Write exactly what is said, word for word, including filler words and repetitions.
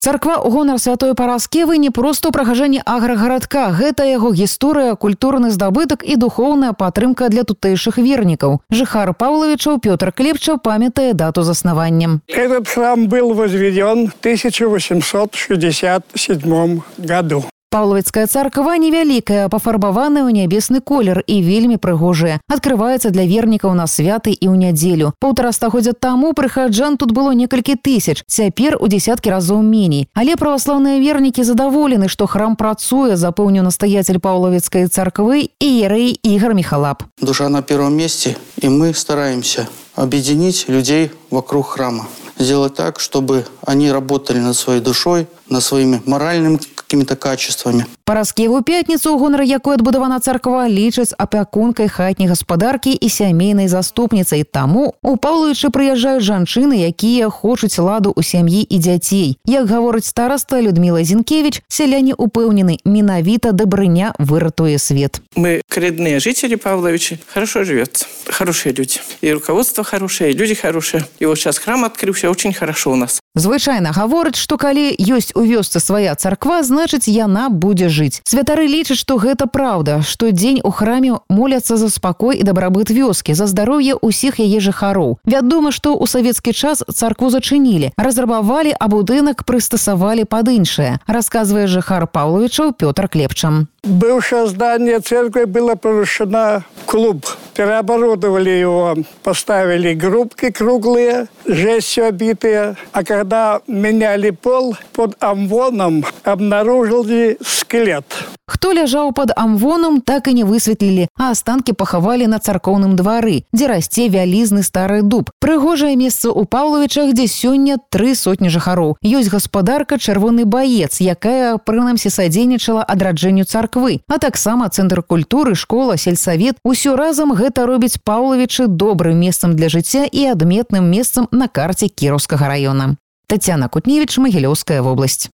Царква ў гонар святой Параскевы не проста ў прыгажэнні аграгарадка. Гэта яго гісторыя, культурны здабытак і духоўная падтрымка для тутэйшых вернікаў. Жыхар Павловичаў Пётр Клепча памятае дату заснавання. Этот храм был возведен в тысяча восемьсот шестьдесят седьмом году. Паўлавіцкая царква невялікая, пафарбаваная ў нябесны колер і вельмі прыгожая. Адкрываецца для вернікаў на святы і ў нядзелю. Паўтара стагоддзя таму прыхаджан тут было некалькі тысяч, цяпер у дзесяткі разоў меней. Але праваслаўныя вернікі задаволены, што храм працуе, запэўніў настаяцель Паўлавіцкай царквы іерэй Игорь Михалап. Душа на первом месте, и мы стараемся объединить людей вокруг храма. Сделать так, чтобы они работали над своей душой, над своими моральными какими-то качествами. Параскеву пятніцу, у гонар якой адбудавана царква, лічаць апякункай хатняй гаспадаркі і сямейнай заступніцай. Таму у Паўлавічы прыязджаюць жанчыны, якія хочуць ладу ў сям'і і дзяцей. Як гаворыць стараста Людмила Зінкевич, сяляне упэўнены, менавіта дабрыня выратуе свет. Мы коренные жители Павловичи. Хорошо живется. Хорошие люди. И руководство хорошее, и люди хорошие. И вот сейчас храм открылся, очень хорошо у нас. Звычайна гаворыць, што калі ёсць у вёсцы свая царква, значыць, яна будзе жыць. Святары лічаць, што гэта праўда. Штодзень у храме моляцца за спакой і дабрабыт вёскі, за здароўе ўсіх яе жыхароў. Вядома, што ў савецкі час царкву зачынілі, разрабавалі, а будынак прыстасавалі пад іншае, расказвае жыхар Паўлавічаў Пётр Клепча. Бывшее здание церкви было превращено в клуб. Переоборудовали его, поставили группки круглые, жестью обитые. А когда меняли пол, под амвоном обнаружили скелет. Хто ляжаў пад амвоном, так і не высветлілі, а астанкі пахавалі на царкоўным двары, дзе расце вялізны стары дуб. Прыгожае месца ў Паўлавічах, дзе сёння тры сотні жыхароў. Ёсць гаспадарка «Чырвоны баец», якая, прынамсі, садзейнічала адраджэнню царквы, а таксама цэнтр культуры, школа, сельсавет. Усё разам гэта робіць Паўлавічы добрым месцам для жыцця і адметным месцам на карце Кіроўскага раёна. Тацяна Кутневіч, Магілёўская вобласць.